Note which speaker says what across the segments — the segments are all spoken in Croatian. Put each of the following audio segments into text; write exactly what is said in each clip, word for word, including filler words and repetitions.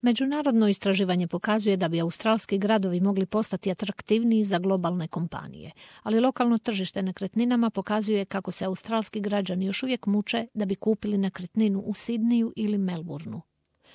Speaker 1: Međunarodno istraživanje pokazuje da bi australski gradovi mogli postati atraktivniji za globalne kompanije, ali lokalno tržište nekretninama pokazuje kako se australski građani još uvijek muče da bi kupili nekretninu u Sidniju ili Melbourneu.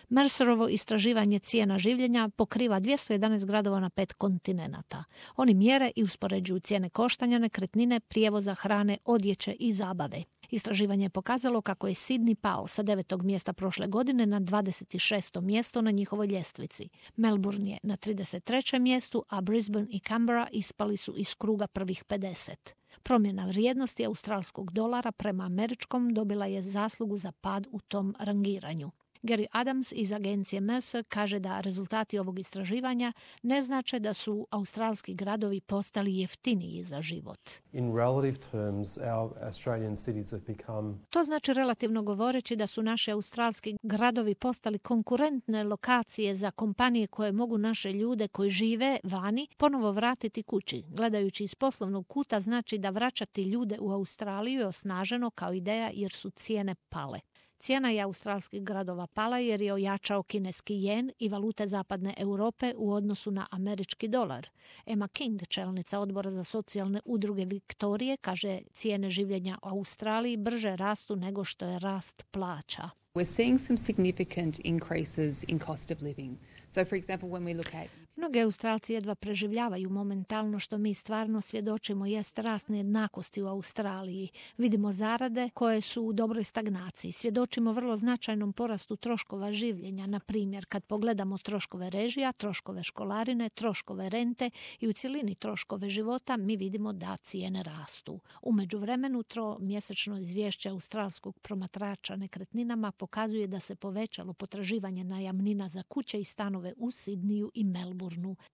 Speaker 1: Mercerovo istraživanje cijena življenja pokriva dvjesto jedanaest gradova na pet kontinenata. Oni mjere i uspoređuju cijene koštanja nekretnine, prijevoza, hrane, odjeće i zabave. Istraživanje je pokazalo kako je Sidney pao sa devetog mjesta prošle godine na dvadeset šesto mjesto na njihovoj ljestvici. Melbourne je na trideset trećem mjestu, a Brisbane i Canberra ispali su iz kruga prvih pedeset. Promjena vrijednosti australskog dolara prema američkom dobila je zaslugu za pad u tom rangiranju. Gary Adams iz agencije Mercer kaže da rezultati ovog istraživanja ne znače da su australski gradovi postali jeftiniji za život.
Speaker 2: In relative terms, our Australian cities have become...
Speaker 1: To znači relativno govoreći da su naši australski gradovi postali konkurentne lokacije za kompanije koje mogu naše ljude koji žive vani ponovo vratiti kući. Gledajući iz poslovnog kuta znači da vraćati ljude u Australiju je osnaženo kao ideja jer su cijene pale. Cijena je australskih gradova pala jer je ojačao kineski jen i valute zapadne Europe u odnosu na američki dolar. Emma King, čelnica odbora za socijalne udruge Viktorije, kaže cijene življenja u Australiji brže rastu nego što je rast plaća.
Speaker 3: We're seeing some significant increases in cost of living. So, for example, when we look at...
Speaker 1: Mnogi Australci jedva preživljavaju momentalno, što mi stvarno svjedočimo jest rast nejednakosti u Australiji. Vidimo zarade koje su u dobroj stagnaciji. Svjedočimo vrlo značajnom porastu troškova življenja. Na primjer, kad pogledamo troškove režija, troškove školarine, troškove rente i u cjelini troškove života, mi vidimo da cijene rastu. U međuvremenu, tromjesečno izvješće australskog promatrača nekretninama pokazuje da se povećalo potraživanje najamnina za kuće i stanove u Sidniju i Melbourneu.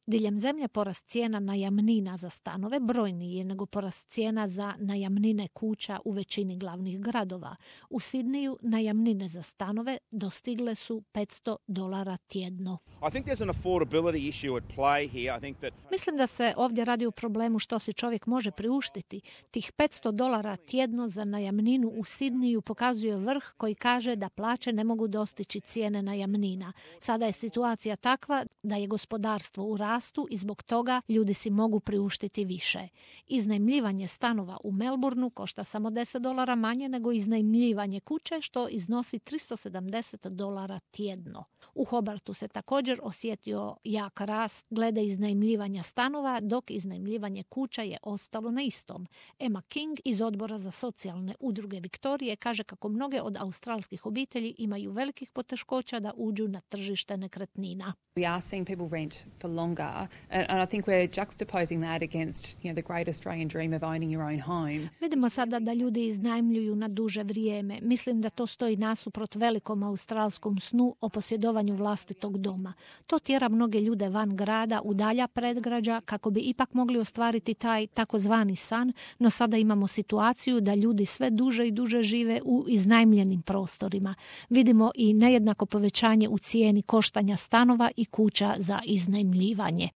Speaker 1: Diljem zemlje porast cijena najamnina za stanove brojniji je nego porast cijena za najamnine kuća u većini glavnih gradova. U Sidniju najamnine za stanove dostigle su petsto dolara tjedno.
Speaker 4: I think there's an affordability issue at play here. I think that...
Speaker 1: Mislim da se ovdje radi o problemu što si čovjek može priuštiti. Tih petsto dolara tjedno za najamninu u Sidniju pokazuje vrh koji kaže da plaće ne mogu dostići cijene najamnina. Sada je situacija takva da je gospodarstvo u rastu i zbog toga ljudi si mogu priuštiti više. Iznajmljivanje stanova u Melbourneu košta samo deset dolara manje nego iznajmljivanje kuće, što iznosi tristo sedamdeset dolara tjedno. U Hobartu se također osjetio jak rast glede iznajmljivanja stanova, dok iznajmljivanje kuća je ostalo na istom. Emma King iz odbora za socijalne udruge Viktorije kaže kako mnoge od australskih obitelji imaju velikih poteškoća da uđu na tržište nekretnina.
Speaker 3: We are seeing people rent for longer, and, and I think we're juxtaposing that against, you know, the great Australian dream of owning your own home.
Speaker 1: Vidimo sada da ljudi iznajmljuju na duže vrijeme. Mislim da to stoji nasuprot velikom australskom snu o posjedovanju vlastitog doma. To tjera mnoge ljude van grada, u dalja predgrađa, kako bi ipak mogli ostvariti taj takozvani san, no sada imamo situaciju da ljudi sve duže i duže žive u iznajmljenim prostorima. Vidimo i nejednako povećanje u cijeni koštanja stanova i kuća za iznajmljivanje.